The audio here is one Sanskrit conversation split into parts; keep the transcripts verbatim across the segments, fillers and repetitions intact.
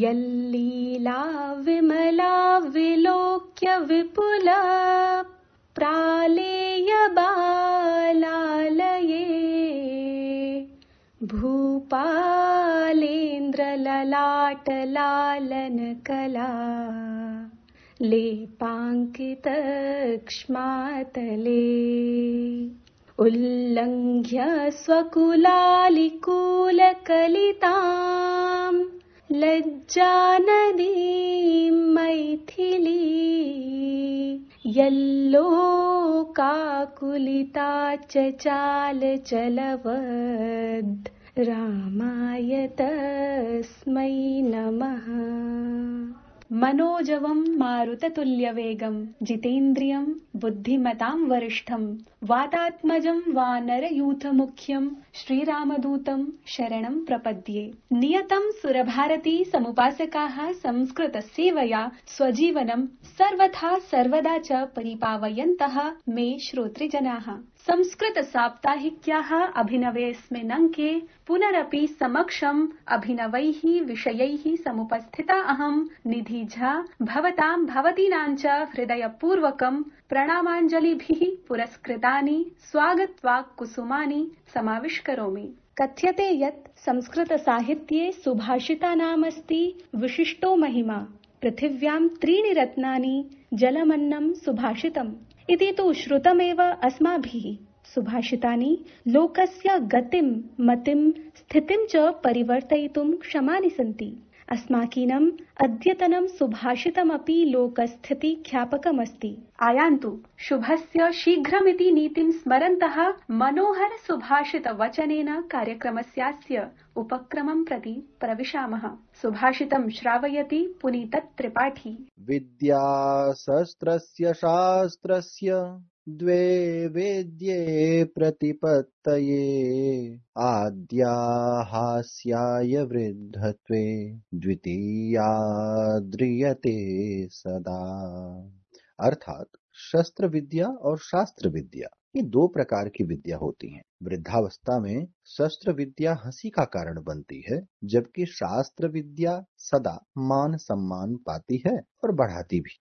यल्लीला विमला विलोक्य विपुला प्रालेय बालालये भूपालेन्द्रललाट लालन कला लेपाङ्कितक्ष्मातले उल्लङ्घ्य स्वकुलालिकूलकलिताम् लज्जानदीं मैथिली यल्लोकाकुलिता चचाल चलवद् रामाय तस्मै नमः। मनोजवं मारुततुल्यवेगं जितेन्द्रियं बुद्धिमतां वरिष्ठं वातात्मजं वानरयूथमुख्यं श्रीरामदूतं शरणं प्रपद्ये। नियतं सुरभारती समुपासकाः संस्कृतसेवया स्वजीवनं सर्वथा सर्वदा च परिपावयन्तः मे श्रोतृजनाः। संस्कृत साप्ताहिक्याः अभिनवेऽस्मिन् अंके पुनरपि समक्षम् अभिनवैः विषयैः समुपस्थिता अहं निधि झा भवतां भवतीनां च हृदयपूर्वकं प्रणामाञ्जलिभिः पुरस्कृतानि स्वागतवाक् कुसुमानि समाविष्करोमि। कथ्यते यत् संस्कृत साहित्ये सुभाषितानामस्ति विशिष्टो महिमा। पृथिव्यां त्रीणि रत्नानि जलमन्नं सुभाषितम् इति तु श्रुतमेव अस्माभिः। सुभाषितानि लोकस्य गतिं मतिं स्थितिं च परिवर्तयितुं क्षमानि सन्ति। अस्माकीनम् अद्यतनं सुभाषितमपि लोकस्थिति ख्यापकमस्ति। आयान्तु शुभस्य शीघ्रमिति नीतिं स्मरन्तः मनोहर सुभाषित वचनेन कार्यक्रमस्यास्य उपक्रमं प्रति प्रविशामः। सुभाषितं श्रावयति पुनीत त्रिपाठी। विद्या शस्त्रस्य शास्त्रस्य द्वे वेद्ये प्रतिपत्तये आद्या हास्याय वृद्धत्वे द्वितीया द्रियते सदा। अर्थात शस्त्र विद्या और शास्त्र विद्या ये दो प्रकार की विद्या होती हैं। वृद्धावस्था में शस्त्र विद्या हंसी का कारण बनती है, जबकि शास्त्र विद्या सदा मान सम्मान पाती है और बढ़ाती भी।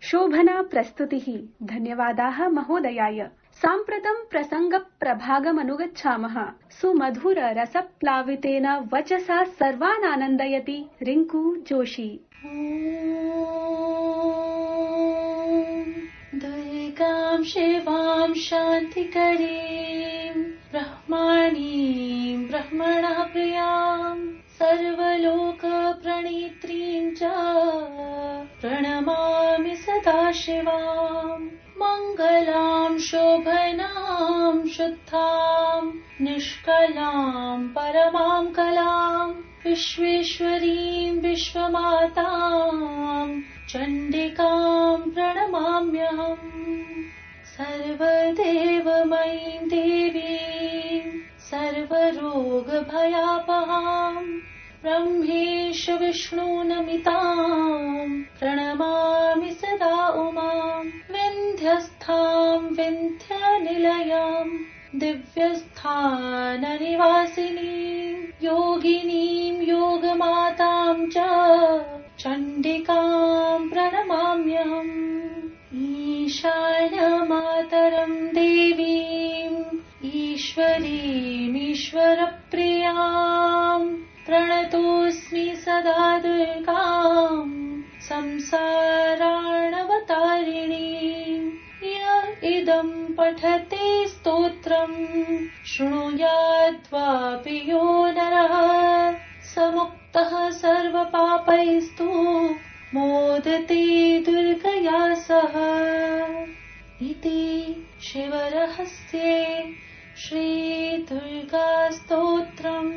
शोभना प्रस्तुतिः। धन्यवादाः महोदयाय। साम्प्रतं प्रसंग प्रभागमनुगच्छामः। सुमधुर रसप्लावितेन वचसा सर्वान् आनन्दयति रिंकू जोशी। दुर्गां शिवां शान्तिकरीं ब्रह्मणीं ब्रह्मणः प्रियां सर्वलोकप्रणीत्रीं च प्रणमामि सदा शिवां। मङ्गलां शोभनां शुद्धां निष्कलां परमां कलां विश्वेश्वरीं विश्वमातां चण्डिकां प्रणमाम्यहम्। सर्वदेवमयीं देवीं सर्वरोगभयापहां ब्रह्मेश विष्णुनमितां प्रणमामि सदा उमां। विन्ध्यस्थां विन्ध्यनिलयां दिव्यस्थाननिवासिनीं योगिनीं योगमातां च चण्डिकां प्रणमाम्यहम्। ईशानमातरं देवीं ईश्वरीमीश्वरप्रियां प्रणतोऽस्मि सदा दुर्गां संसारार्णवतारिणीं। य इदं पठते स्तोत्रं शृणुयाद्वापि यो नरः समुक्तः सर्वपापैस्तु मोदते दुर्गया सह। इति शिवरहस्ये श्रीदुर्गास्तोत्रम्।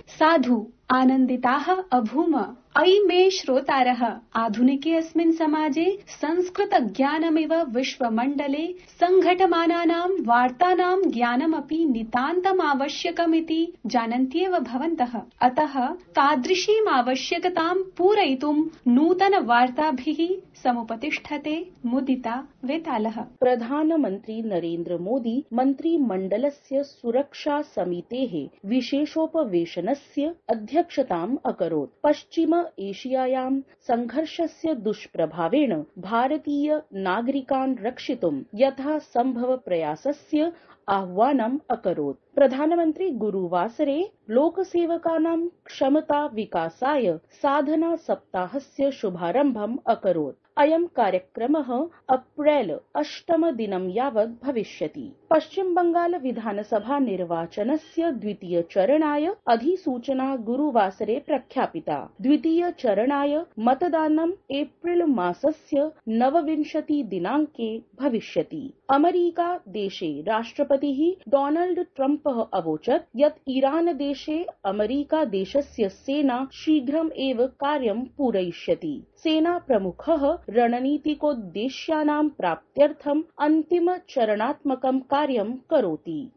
साधु आनन्दिताः अभूम अयि मे श्रोतारः आधुनिके अस्मिन् समाजे संस्कृत ज्ञानमिव विश्वमण्डले सङ्घटमानानां वार्तानां ज्ञानमपि नितान्तम् आवश्यकमिति जानन्त्येव भवन्तः। अतः तादृशीम् आवश्यकतां पूरयितुं नूतन वार्ताभिः समुपतिष्ठते मुदिता वेतालः। प्रधानमन्त्री नरेन्द्र मोदी मन्त्रिमण्डलस्य सुरक्षा समितेः विशेषोपवेशनस्य अध्यक्षताम् अकरोत्। पश्चिम एशियायां संघर्षस्य दुष्प्रभावेण भारतीय नागरिकान् रक्षितुं यथा सम्भव प्रयासस्य आह्वानम् अकरोत्। प्रधानमन्त्री गुरुवासरे लोकसेवकानां क्षमता विकासाय साधना सप्ताहस्य शुभारम्भम् अकरोत्। अयं कार्यक्रमः अप्रैल अष्टम दिनं यावत् भविष्यति। पश्चिम बंगाल विधानसभा निर्वाचनस्य द्वितीय चरणाय अधिसूचना गुरुवासरे प्रख्यापिता। द्वितीय चरणाय मतदानम् एप्रिल मासस्य नवविंशति दिनाङ्के भविष्यति। अमेरिका देशे राष्ट्रपतिः डोनाल्ड ट्रम्पः अवोचत् यत् ईरान देशे अमेरिका देशस्य सेना शीघ्रम् एव कार्यं पूरयिष्यति। सेना प्रमुखः रणनीतिकोद्देश्यानां प्राप्त्यर्थम् अन्तिम चरणात्मकं कार्यं करोति।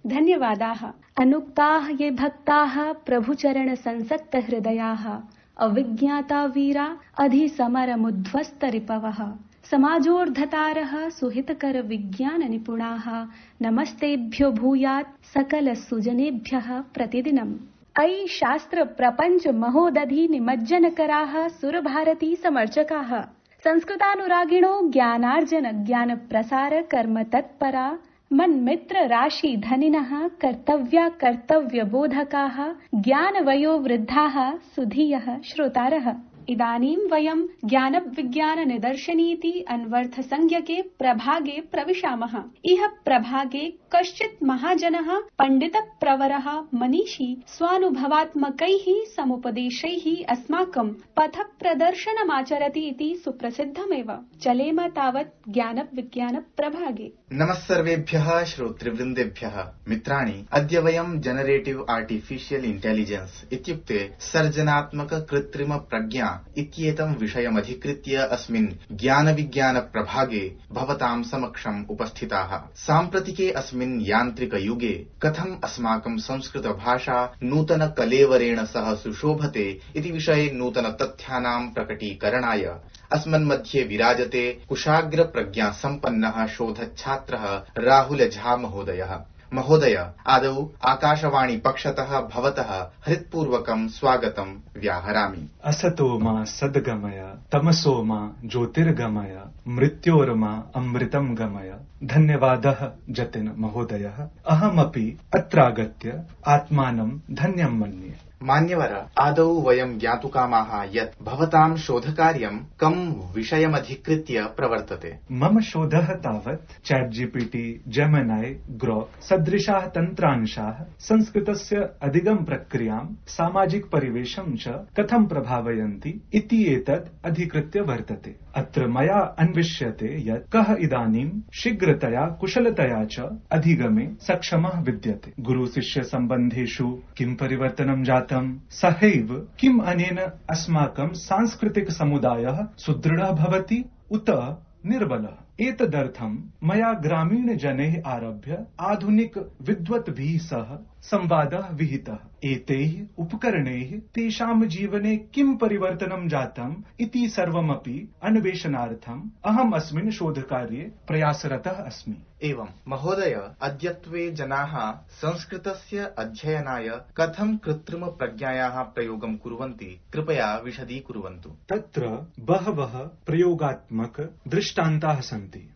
धन्यवादाः। अनुक्ताः ये भक्ताः प्रभुचरण संसक्त हृदयाः अविज्ञाता वीरा अधिसमरमुध्वस्तरिपवः समाजोर्धतारः सुहितकर विज्ञान निपुणाः नमस्तेभ्यो भूयात् सकल सुजनेभ्यः प्रतिदिनम्। अयि शास्त्र प्रपंच महोदधि निमज्जनकराः सुरभारती समर्चकाः संस्कृतानुरागिणो ज्ञानार्जन ज्ञान प्रसार कर्म तत्परा मन्मित्र राशि धनिनः कर्तव्या कर्तव्य बोधकाः ज्ञान वयो वृद्धाः सुधीयः श्रोतारः। इदानीं वयं ज्ञान विज्ञान निदर्शनीति अन्वर्थ संज्ञके प्रभागे प्रविशामः। इह प्रभागे कश्चित् महाजनः पंडित प्रवरः मनीषी स्वानुभवात्मकैः समुपदेशैः अस्माकं पथ प्रदर्शनमाचरति इति सुप्रसिद्धमेव। चलेम तावत् ज्ञान विज्ञान प्रभागे। नमस्सर्वेभ्यः श्रोतृवृन्देभ्यः। मित्राणि, अद्य वयं जनरेटिव आर्टिफिशियल इंटेलिजेंस इत्युक्ते सर्जनात्मक कृत्रिम प्रज्ञा इत्येतं विषयमधिकृत्य अस्मिन् ज्ञान विज्ञान प्रभागे भवतां समक्षम् उपस्थिताः। साम्प्रतिके अस्मिन् यान्त्रिक युगे कथम् अस्माकं संस्कृत भाषा नूतन कलेवरेण सह सुशोभते इति विषये नूतन तथ्यानां प्रकटीकरणाय अस्मन्मध्ये विराजते कुशाग्र प्रज्ञा सम्पन्नः शोधच्छात्रः राहुल झा महोदयः। महोदय, आदौ आकाशवाणी पक्षतः भवतः हृत्पूर्वकं स्वागतं व्याहरामि। असतो मा सद्गमय तमसो मा ज्योतिर्गमय मृत्योर्मा अमृतं गमय। धन्यवादः जतिन महोदयः। अहमपि अत्रागत्य आत्मानं धन्यं मन्ये। मान्यवर, आदौ वयं ज्ञातुकामाः यत् भवतां शोधकार्यं कं विषयमधिकृत्य प्रवर्तते। मम शोधः तावत् चैट जीपीटी, जेमिनाई, ग्रोक सदृशाः तन्त्रांशाः संस्कृतस्य अधिगम प्रक्रियां सामाजिक परिवेशं च कथं प्रभावयन्ति इति एतत् अधिकृत्य वर्तते। अत्र मया अन्विष्यते यत् कः इदानीं शीघ्रतया कुशलतया च अधिगमे सक्षमः विद्यते। गुरु शिष्य सम्बन्धेषु किं परिवर्तनं जातम्, सहैव किम् अनेन अस्माकं सांस्कृतिक समुदायः सुदृढः भवति उत निर्बलः। एतदर्थं मया ग्रामीण जनैः आरभ्य आधुनिक विद्वद्भिः सह संवादः विहितः। एतैः उपकरणैः तेषां जीवने किं परिवर्तनं जातम् इति सर्वमपि अन्वेषणार्थम् अहम् अस्मिन् शोधकार्ये प्रयासरतः अस्मि। एवं महोदय, अद्यत्वे जनाः संस्कृतस्य अध्ययनाय कथं कृत्रिम प्रज्ञायाः प्रयोगं कुर्वन्ति, कृपया विशदीकुर्वन्तु। तत्र बहवः प्रयोगात्मक दृष्टान्ताः सन्ति।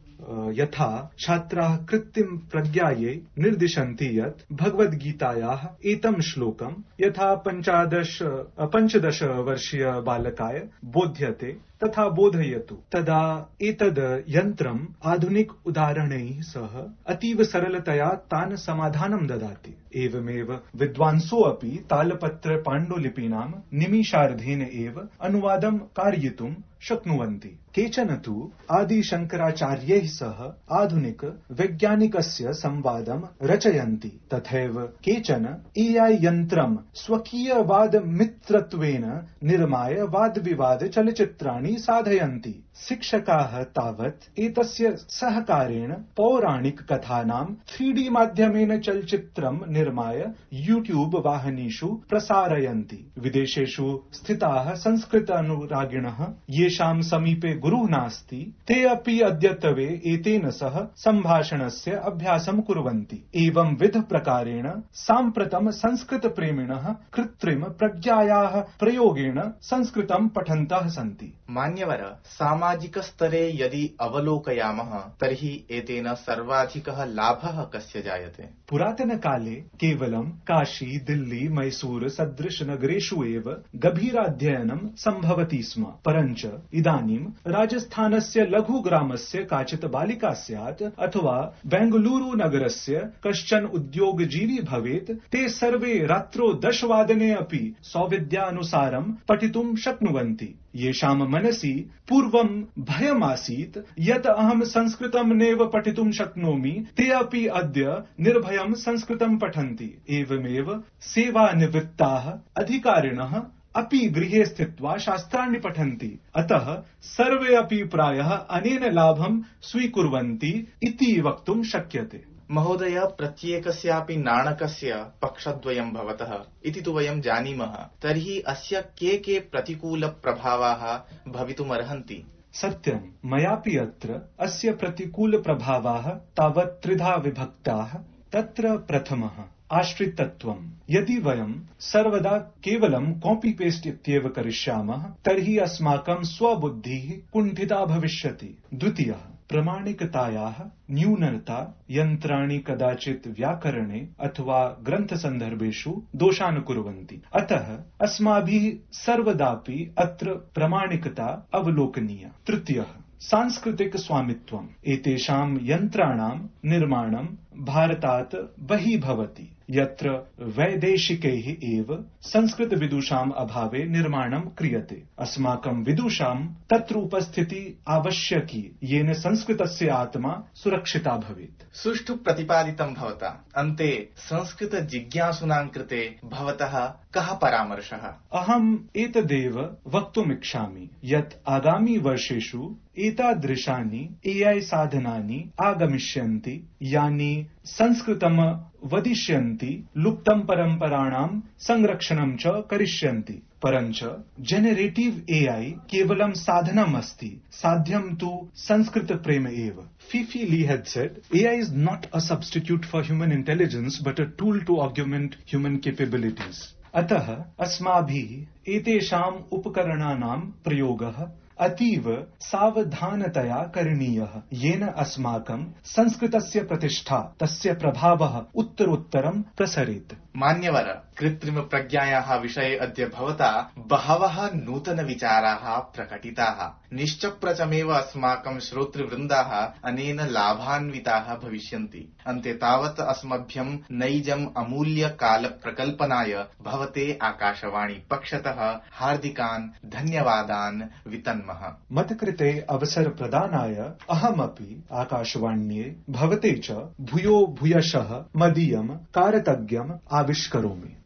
यथा छात्राः कृत्रिम प्रज्ञायै निर्दिशन्ति यत् भगवद्गीतायाः एतं श्लोकं यथा पञ्चदश पञ्चदश वर्षीय बालकाय बोध्यते तथा बोधयतु। तदा एतद् यन्त्रम् आधुनिक उदाहरणैः सह अतीव सरलतया तान् समाधानं ददाति। एवमेव विद्वांसो अपि तालपत्र पाण्डुलिपीनां निमिषार्धेन एव अनुवादं कारयितुं शक्नुवन्ति। केचन तु आदिशङ्कराचार्यैः सह आधुनिक वैज्ञानिकस्य संवादं रचयन्ति। तथैव केचन ए आई यन्त्रं स्वकीयवादमित्रत्वेन निर्माय वादविवाद चलच्चित्राणि साधयन्ति। शिक्षकाः तावत् एतस्य सहकारेण पौराणिक कथानां थ्री डी माध्यमेन चलच्चित्रं निर्माय यूट्यूब वाहिनीषु प्रसारयन्ति। विदेशेषु स्थिताः संस्कृत अनुरागिणः येषां समीपे गुरुः नास्ति ते अपि अद्यत्वे एतेन सह सम्भाषणस्य अभ्यासं कुर्वन्ति। एवं विध प्रकारेण साम्प्रतं संस्कृत प्रेमिणः कृत्रिम प्रज्ञायाः प्रयोगेण संस्कृतं पठन्तः सन्ति। मान्यवर, सामाजिक स्तरे यदि अवलोकयामः तर्हि एतेन सर्वाधिकः लाभः कस्य जायते? पुरातन काले केवलं काशी, दिल्ली, मैसूर सदृश नगरेषु एव गभीराध्ययनं सम्भवति स्म। परञ्च इदानीं राजस्थानस्य लघुग्रामस्य काचित् बालिका स्यात् अथवा बेंगलुरु नगरस्य कश्चन उद्योगजीवी भवेत्, ते सर्वे रात्रौ दशवादने अपि सौविध्यानुसारं पठितुं शक्नुवन्ति। येषां मनसि पूर्वं भयमासीत् यत् अहं संस्कृतं नैव पठितुं शक्नोमि, ते अपि अद्य निर्भयं संस्कृतं पठन्ति। एवमेव सेवानिवृत्ताः अधिकारिणः अपि गृहे स्थित्वा शास्त्राणि पठन्ति। अतः सर्वे अपि प्रायः अनेन लाभं स्वीकुर्वन्ति इति वक्तुं शक्यते। महोदय, प्रत्येकस्यापि नाणकस्य पक्षद्वयं भवतः इति तु वयं जानीमः। तर्हि अस्य के के प्रतिकूलप्रभावाः भवितुमर्हन्ति? सत्यं, मयापि अत्र अस्य प्रतिकूलप्रभावाः तावत् त्रिधा विभक्ताः। तत्र प्रथमः आश्रितत्वम्। यदि वयं सर्वदा केवलं कॉपी पेस्ट इत्येव करिष्यामः तर्हि अस्माकं स्वबुद्धिः कुण्ठिता भविष्यति। द्वितीयः प्रमाणिकतायाः न्यूनता। यन्त्राणि कदाचित् व्याकरणे अथवा ग्रन्थसन्दर्भेषु दोषान् कुर्वन्ति। अतः अस्माभिः सर्वदापि अत्र प्रमाणिकता अवलोकनीया। तृतीयः सांस्कृतिक स्वामित्वम्। एतेषां यन्त्राणां निर्माणं भारतात् बहिः भवति, यत्र वैदेशिकैः एव संस्कृत विदुषाम् अभावे निर्माणं क्रियते। अस्माकं विदुषां तत्र उपस्थितिः आवश्यकी, येन संस्कृतस्य आत्मा सुरक्षिता भवेत्। सुष्ठु प्रतिपादितं भवता। अन्ते संस्कृत जिज्ञासुनां कृते भवतः कः परामर्शः? अहम् एतदेव वक्तुमिच्छामि यत् आगामि वर्षेषु एतादृशानि ए आई साधनानि आगमिष्यन्ति, यानि संस्कृतं वदिष्यन्ति, लुप्तं परम्पराणां संरक्षणं च करिष्यन्ति। परञ्च जेनेरेटिव ए आई केवलं साधनम् अस्ति, साध्यं तु संस्कृत प्रेम एव। Fifi Lee had said, A I is not a substitute for human intelligence but a tool to augment human capabilities. अतः अस्माभिः एतेषाम् उपकरणानां प्रयोगः अतीव सावधानतया करणीयः, येन अस्माकं संस्कृतस्य प्रतिष्ठा, तस्य प्रभावः उत्तरोत्तरं प्रसरेत्। मान्यवर, कृत्रिम प्रज्ञायाः विषये अद्य भवता बहवः नूतन विचाराः प्रकटिताः। निश्चप्रचमेव अस्माकं श्रोतृवृन्दाः अनेन लाभान्विताः भविष्यन्ति। अन्ते तावत् अस्मभ्यं नैजम् अमूल्य काल प्रकल्पनाय भवते आकाशवाणी पक्षतः हार्दिकान् धन्यवादान् वितन्मः। मत्कृते अवसर प्रदानाय अहमपि आकाशवाण्ये भवते च भूयो भूयशः मदीयं कारतज्ञम् आविष्करोमि।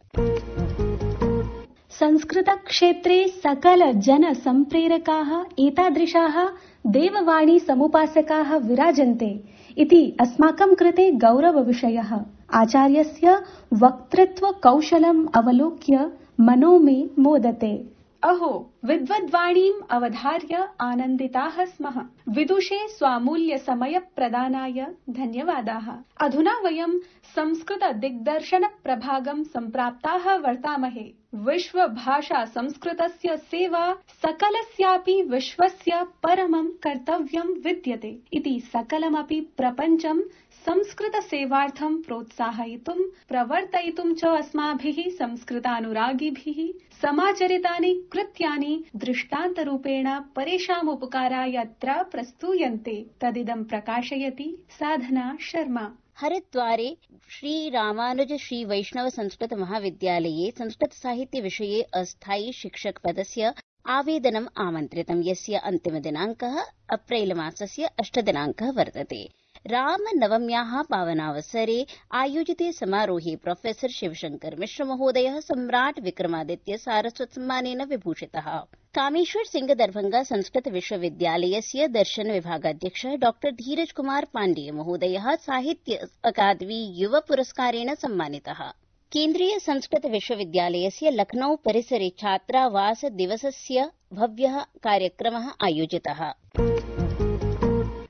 संस्कृतक्षेत्रे सकल जन सम्प्रेरकाः एतादृशाः देववाणी समुपासकाः विराजन्ते इति अस्माकं कृते गौरवविषयः। आचार्यस्य वक्तृत्व कौशलम् अवलोक्य मनो मे मोदते। अहो, विद्वद्वाणीम् अवधार्य आनन्दिताः स्मः। विदुषे स्वामूल्य समय प्रदानाय धन्यवादाः। अधुना वयं संस्कृत दिग्दर्शन प्रभागं सम्प्राप्ताः वर्तामहे। विश्व भाषा संस्कृतस्य सेवा सकलस्यापि विश्वस्य परमं कर्तव्यं विद्यते इति सकलमपि प्रपञ्चं संस्कृत सेवार्थं प्रोत्साहयितुं प्रवर्तयितुं च अस्माभिः संस्कृतानुरागिभिः समाचरितानि कृत्यानि दृष्टान्तरूपेण परेषाम् उपकाराय अत्र प्रस्तूयन्ते। तदिदं प्रकाशयति साधना शर्मा। हरिद्वारे श्री रामानुज श्री वैष्णव संस्कृत महाविद्यालये संस्कृत साहित्य विषये अस्थायी शिक्षक पदस्य आवेदनम् आमन्त्रितं, यस्य अन्तिमदिनाङ्कः अप्रैल मासस्य अष्टमदिनाङ्कः वर्तते। रामनवम्याः पावनावसरे आयोजिते समारोहे प्रोफेसर शिवशंकर मिश्र महोदयः सम्राट् विक्रमादित्य सारस्वत सम्मानेन विभूषितः। कामेश्वर सिंह दरभंगा संस्कृत विश्वविद्यालयस्य दर्शन विभागाध्यक्षः डॉक्टर धीरज कुमार पाण्डेय महोदयः साहित्य अकादमी युव पुरस्कारेण सम्मानितः। केन्द्रीय संस्कृत विश्वविद्यालयस्य लखनऊ परिसरे छात्रावास दिवसस्य भव्यः कार्यक्रमः आयोजितः।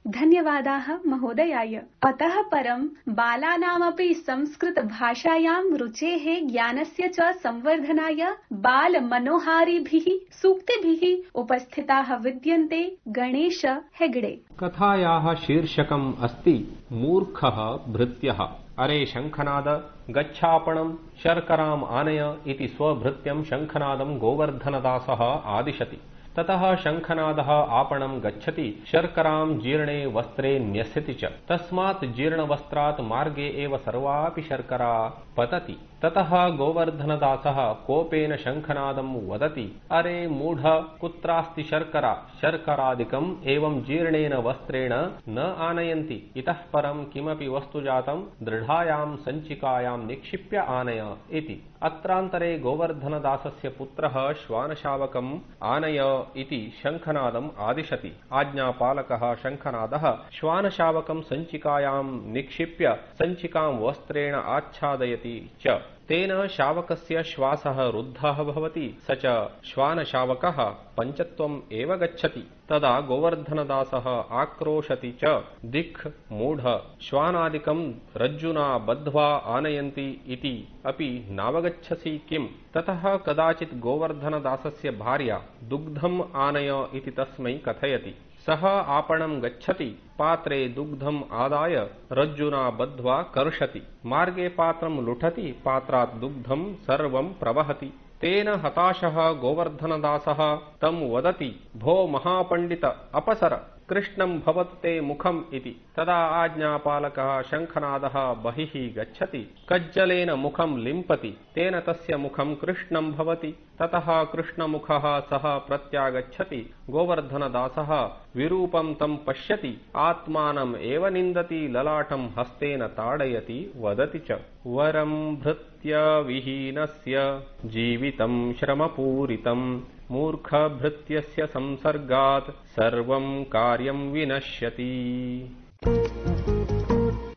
धन्यवादाः महोदयाय। अतः परं बालानामपि संस्कृतभाषायां रुचेः ज्ञानस्य च संवर्धनाय बालमनोहारिभिः सूक्तिभिः उपस्थिताः विद्यन्ते गणेश हेगडे। कथायाः शीर्षकम् अस्ति मूर्खः भृत्यः। अरे शङ्खनाद, गच्छापणम् शर्कराम् आनय इति स्वभृत्यं शङ्खनादं गोवर्धनदासः आदिशति। ततः शङ्खनादः आपणं गच्छति, शर्करां जीर्णे वस्त्रे न्यस्यति च। तस्मात् जीर्णवस्त्रात् मार्गे एव सर्वापि शर्करा पतति। ततः गोवर्धनदासः कोपेन शङ्खनादं वदति, अरे मूढ, कुत्रास्ति शर्करा? शर्करादिकम् एवं जीर्णेन वस्त्रेण न आनयन्ति। इतः परं किमपि वस्तु जातं दृढायां सञ्चिकायां निक्षिप्य आनय इति। अत्रान्तरे गोवर्धनदासस्य पुत्रः श्वानशावकम् आनय इति शङ्खनादम् आदिशति। आज्ञापालकः शङ्खनादः श्वानशावकं सञ्चिकायां निक्षिप्य सञ्चिकां वस्त्रेण आच्छादयति च। तेन शावकस्य श्वासः रुद्धः भवति, स च श्वानशावकः पञ्चत्वम् एव गच्छति। तदा गोवर्धनदासः आक्रोशति च, दिक् मूढ, श्वानादिकं रज्जुना बद्ध्वा आनयन्ति इति अपि नावगच्छसि किम्? ततः कदाचित् गोवर्धनदासस्य भार्या दुग्धम् आनय इति तस्मै कथयति। सः आपणं गच्छति, पात्रे दुग्धम् आदाय रज्जुना बद्ध्वा कर्षति। मार्गे पात्रं लुठति, पात्रात् दुग्धं सर्वं प्रवहति। तेन हताशः गोवर्धनदासः तं वदति, भो महापण्डित, अपसर, कृष्णं भवतु ते मुखम् इति। तदा आज्ञापालकः शङ्खनादः बहिः गच्छति, कज्जलेन मुखं लिम्पति, तेन तस्य मुखं कृष्णं भवति। ततः कृष्णमुखः सः प्रत्यागच्छति। गोवर्धनदासः विरूपं तं पश्यति, आत्मानम् एव निन्दति, ललाटं हस्तेन ताडयति, वदति च, वरं भृत्यविहीनस्य जीवितं श्रमपूरितं, मूर्खभृत्यस्य संसर्गात् सर्वं कार्यं विनश्यति।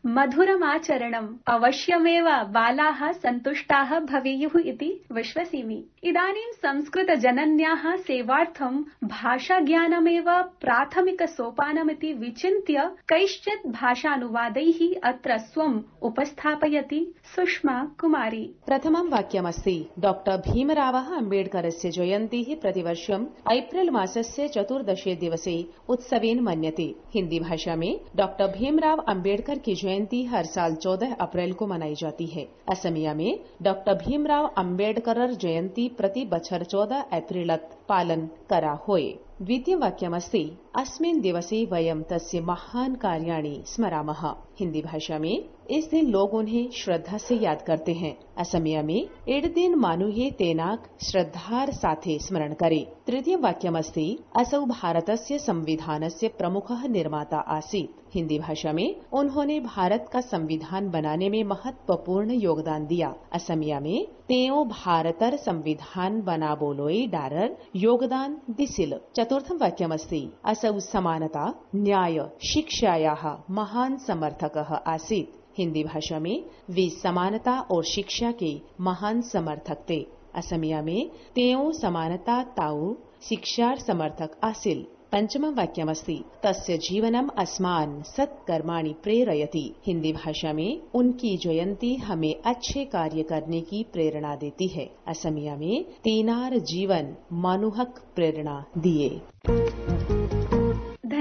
मधुरमाचरणम् अवश्यमेव बालाः सन्तुष्टाः भवेयुः इति विश्वसिमि। इदानीं संस्कृतजनन्याः सेवार्थं भाषाज्ञानमेव प्राथमिकसोपानमिति विचिन्त्य कैश्चित् भाषानुवादैः अत्र स्वम् उपस्थापयति सुषमा कुमारी। प्रथमं वाक्यमस्ति, डॉक्टर भीमरावः अम्बेडकरस्य जयन्तीः प्रतिवर्षम् एप्रिल मासस्य चतुर्दशे दिवसे उत्सवेन मन्यते। हिंदी भाषा में डॉक्टर भीमराव अम्बेडकर की जयंती हर साल चौदह अप्रैल को मनाई जाती है। असमिया में डॉक्टर भीमराव अम्बेडकर जयंती प्रति बछर चौदह अप्रैलत पालन करा होए। द्वितीय वाक्यमस्ति, अस्मिन् दिवसे वयं तस्य महान कार्याणि स्मरामः। हिंदी भाषा में इस दिन लोग उन्हें श्रद्धा से याद करते हैं। असमिया में एड दिन मानुहे तेनाक श्रद्धार साथे स्मरण करे। तृतीय वाक्यमस्ति, असौ भारतस्य संविधानस्य प्रमुखः निर्माता आसीत्। हिंदी भाषा में उन्होंने भारत का संविधान बनाने में महत्वपूर्ण योगदान दिया। असमिया में तेओ भारतर संविधान बनाबोलोई डारर योगदान दिसिल। चतुर्थं वाक्यमस्ति, असौ समानता न्याय शिक्षायाः महान समर्थकः आसीत्। हिंदी भाषा में वे समानता और शिक्षा के महान समर्थक थे। असमिया में तेओ समानता ताऊ शिक्षार समर्थक आसिल। पंचमं वाक्यमस्ति, तस्य जीवनम अस्मान् सत्कर्माणि प्रेरयति। हिंदी भाषा में उनकी जयंती हमें अच्छे कार्य करने की प्रेरणा देती है। असमिया में तीनार जीवन मनुहक प्रेरणा दिए।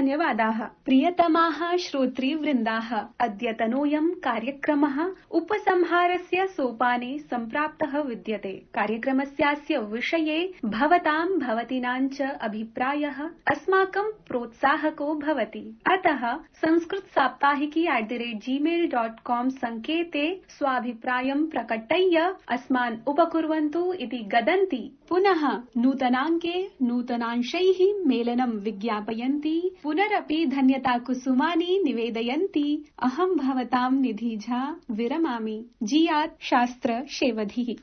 धन्यवादाः। प्रियतमाः श्रोतृवृन्दाः, अद्यतनोऽयं कार्यक्रमः उपसंहारस्य सोपाने सम्प्राप्तः विद्यते। कार्यक्रमस्यास्य विषये भवतां भवतीनां च अभिप्रायः अस्माकं प्रोत्साहको भवति। अतः Sanskrit Saptahiki at the rate Gmail dot com संकेते स्वाभिप्रायं प्रकटय्य अस्मान् उपकुर्वन्तु इति गदन्ति। पुनः नूतनाङ्के नूतनांशैः मेलनं विज्ञापयन्ति। पुनरपि धन्यता कुसुमानि निवेदयन्ति। अहं भवतां निधि झा विरमामि। जियात् शास्त्र शेवधिः।